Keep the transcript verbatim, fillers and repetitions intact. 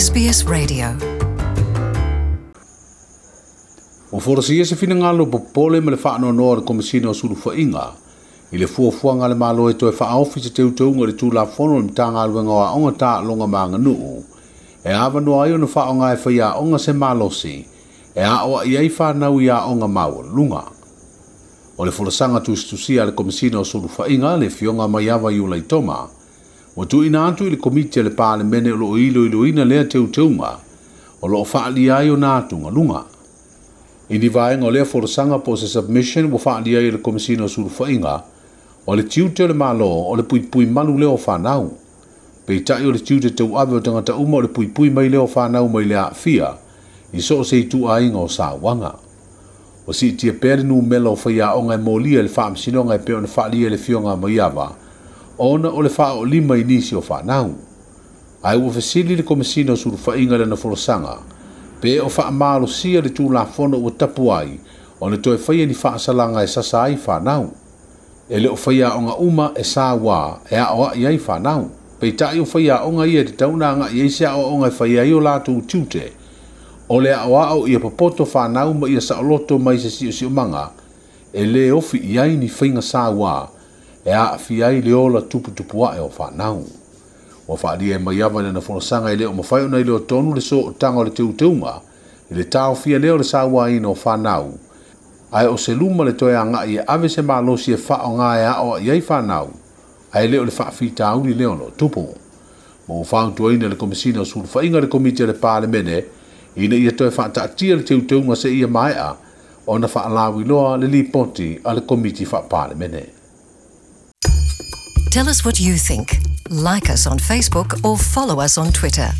S B S Radio. Ua folasia se finagalo popole ma le faanoanoa o le Komesina o Sulufaiga i le fuafuaga a le Malo e toe faaofi se teuteuga i le Tulafono o le Matagaluega o Aoga Taaloga ma Aganuu e avanoa ai ona faaaoga e faiaoga se malosi e aoai ai fanau i aoga maualuluga. O le folasaga tusitusia a le Komesina o Sulufaiga, le Afioga Maiava Iulaitoma, ua tuuina atu i le Komiti a le Palemene o loo iloiloina lea teuteuga, o loo faaalia ai ona atugaluga. I ni vaega o lea folasaga po o se submission ua faaalia ai e le Komesina o Sulufaiga, o le tiute o le Malo o le puipui malu lea o fanau. Peitai o le tiute tauave o tagata uma o le puipui mai lea o fanau mai le aafia i so o se ituaiga o sauaga. Ua siitia pea le numera o faiaoga e molia i le faamasinoga e pei ona faaalia e le Afioga Maiava ona o le faaoolima i nisi o fanau. Ae ua fesili le Komesina o Sulufaiga i lana folasaga pe o faamalosia le Tulafono ua tapu ai ona toe faia ni faasalaga e sasa ai fanau. E le o faiaoga uma e sauā e aoai ai fanau. Peitai o faiaoga ia e tatau ona agai ai se aoaoga e faia ai o latou tiute. O le aoao ia popoto fanau ma ia saoloto mai se siosiomaga e lē ofi i ai ni faiga sauā e aafia ai le ola tuputupu ae o fanau. Ua faaalia e Maiava i lana folasaga e le o mafai ona iloa tonu le sootaga o le teuteuga i le taofia lea o le sauaina o fanau, ae o se luma le toe agai e ave se malosi e faaaoga e aoai ai fanau, ae le o le faafitauli lea o loo tupu. Ma ua fautuaina le Komesina o Sulufaiga le Komiti a le Palemene ina ia toe faataatia le teuteuga seia maea ona faalauiloa le lipoti a le Komiti Faapalemene. Tell us what you think. Like us on Facebook or follow us on Twitter.